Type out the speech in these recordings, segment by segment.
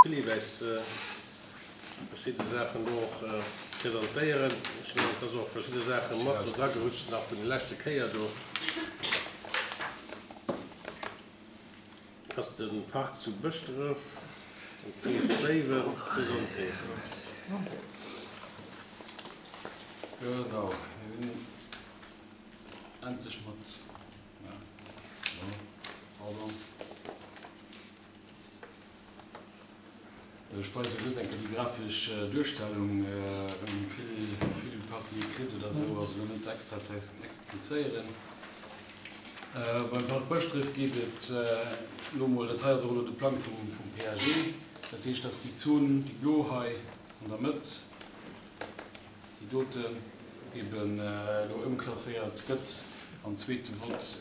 Philippe äis verschidde Saachen do och presentéieren. Ech mengen, et ass och verschidde Saache mat do dragerutscht nach vun de leschte Kéier do. Ass de Park zu Bëschdref an d'Kierch Béiwen. Gesondheet. Genau, mir sinn endlech mat, pardon. Ech weise just eng Kéier déi grafesch Duerstellung, well vill vill Partie kritt oder esou, also elo net extra ze explizéieren. Beim Park Bëschdref geet et elo mol, dat hei ass och elo de Plang vum vum PAG, dat heescht, dass déi Zon, déi blo hei an der Mëtt, déi doten, eben elo ëmklasséiert gëtt am zweete Vott.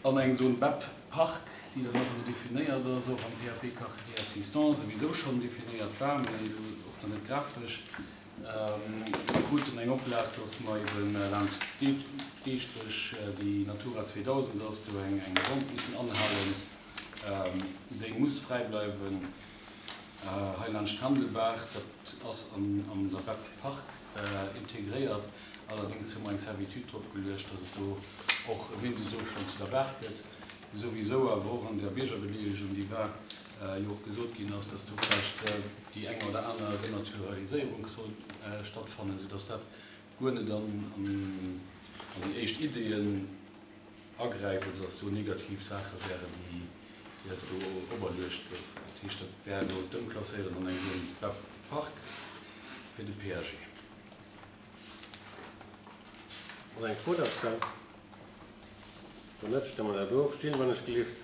An eng Zone bep Park, déi dann och elo definéiert ass, och am PAP Quartier existant souwisou schonn definéiert war, mee elo och nach net grafesch. Mir kruten eng Oplag, dass mer ebe laanscht d'Eeschtrech, déi Natura 2000 ass, do eng Bande mussen anhalen. Déi muss fräi bleiwen. Hei laanscht d'Kandelbaach, dat ass an der bep Park integréiert. Allerdéngs hu mer eng Servitude drop geluecht, dass et do och e Mindestofstand zu der Baach gëtt. Souwisou awer och an der Biergerbedeelegung, déi war, jo och gesot ginn ass, dass do vläicht déi eng oder aner Renaturaliséierung soll stattfannen, soudass dat guer net an déi éischt Ideeën agräift oder dass do negativ Saache wären, déi eis do operluecht goufen. Dat heescht, dat wär elo d'Ëmklasséieren an eng Zone Park fir de PAG. Ass eng Fro derzou? Wann net, stëmme mer dat of. Gilles, wann ech gelift.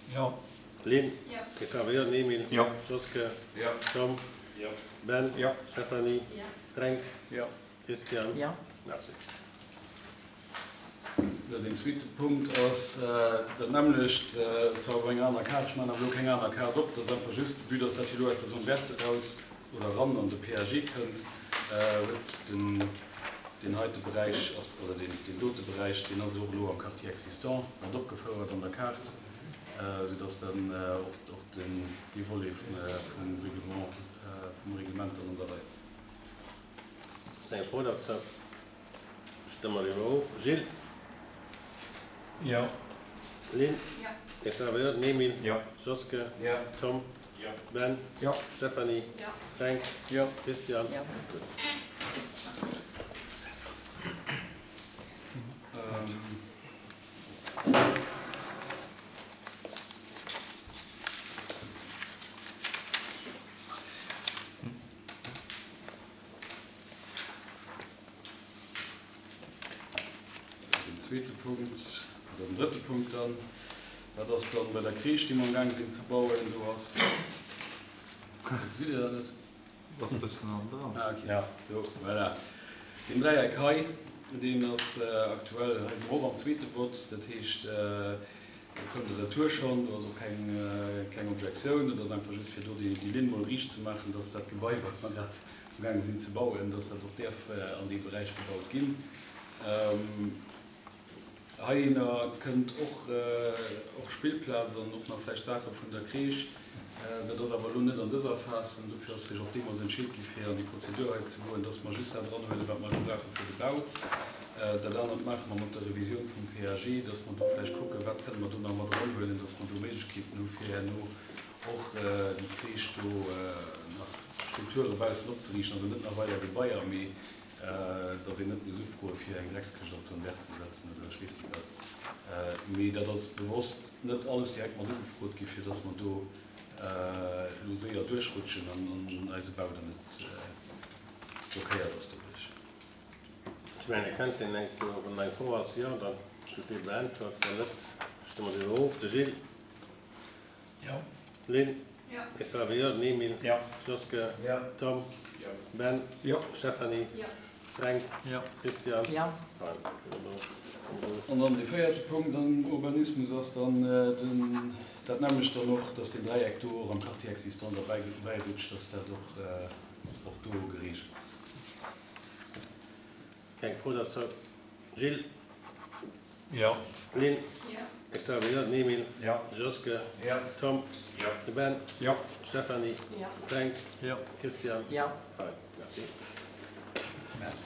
Jo. Lynn? Jo. Christophe, jo. Emile? Jo. Joske? Jo. Tom? Jo. Ben? Jo. Stéphanie? Jo. Fränk? Jo. Christian? Jo. Merci. Deen zweete Punkt ass dat nämmlecht, zwar op enger aner Kaart, ech maachen awer elo keng aner Kaart op, dat ass einfach just, vue dass dat jo elo aus der Zone verte eraus oder eran an de PAG kënnt, huet den deen heite Beräich ass, oder deen deen dote Beräich, deen ass och elo am Quartier existant mat opgefouert an der Kaart, soudass dann och och den dee Volet vum Reglement vum Reglement dann an der Rei ass. Ass eng Fro derzou? Stëmme mer eriwwer of. Gilles? Jo. Lynn? Jo. Christophe, jo. Emile? Jo. Joske? Jo. Tom? Jo. Ben? Jo. Stéphanie? Jo. Fränk? Jo. Christian? Jo. Gutt. Den zweete Punkt, oder den drëtte Punkt dann, dat ass dann bei der Crèche, déi mer amgaang sinn ze bauen. Do ass, gesitt Dir dat net? Ass e bëssen an dran. Ah, okay. Ja, do, voilà. Deen Dräieck hei, deen ass aktuell, hei si mer och am zweete Vott, dat heescht, do koum de Retour schonn, do ass och keng, keng Objektioun. Dat ass einfach just, fir do déi Linn mol riicht ze maachen, dass dat Gebai, wat mer grad amgaange sinn ze bauen, dass dat och däerf an deem Beräich gebaut ginn. Heihinner kënnt och och Spillplaz an och nach vläicht Saache vun der Crèche. Dat ass awer elo net an dëser Phas an dofir ass sech och deemools entscheet gi fir an déi Prozedur hei ze goen, dass mer just dat eranhuelen, wat mer elo brauche fir de Bau. Dat anert maache mer mat der Revisioun vum PAG, dass mer do vläicht kucken, wat kënne mer do nach mat eranhuelen, dass mer do Méiglechkeeten hu fir herno och déi Crèche do nach Strukture baussen opzeriichten, also net nach weider Gebaier, mee dass een net muss ufroe fir eng Dreckskëscht an d'Zone verte ze setzen oder ech weess net wat. Mee dat ass bewosst net alles direkt mat ugefrot gi fir dass mer do elo séier duerchrutschen an eise Bau dann net blockéiert ass doduerch. Ech mengen, Här Kenzling, eng, wann eng Fro ass, jo, da gëtt déi beäntwert, wann net, stëmme mer se elo of. De Gilles. Jo. Lynn? Jo. Christophe, jo. Emile? Jo. Joske? Jo. Tom? Jo. Ben? Jo. Stéphanie? Jo. Fränk? Jo. Christian? Jo. An dann dee véierte Punkt am Urbanismus ass dann den, dat nämmlecht dann och, dass deen Dräieck do och am Quartier existant derbäi rutscht, dass dat och, och do geregelt ass. Keng Fro derzou. Gilles? Jo. Lynn? Jo. Xavier? Jo. Emil? Jo. Joske? Jo. Tom? Jo. De Ben? Jo. Stéphanie? Jo. Fränk? Jo. Christian? Jo. Merci. Merci.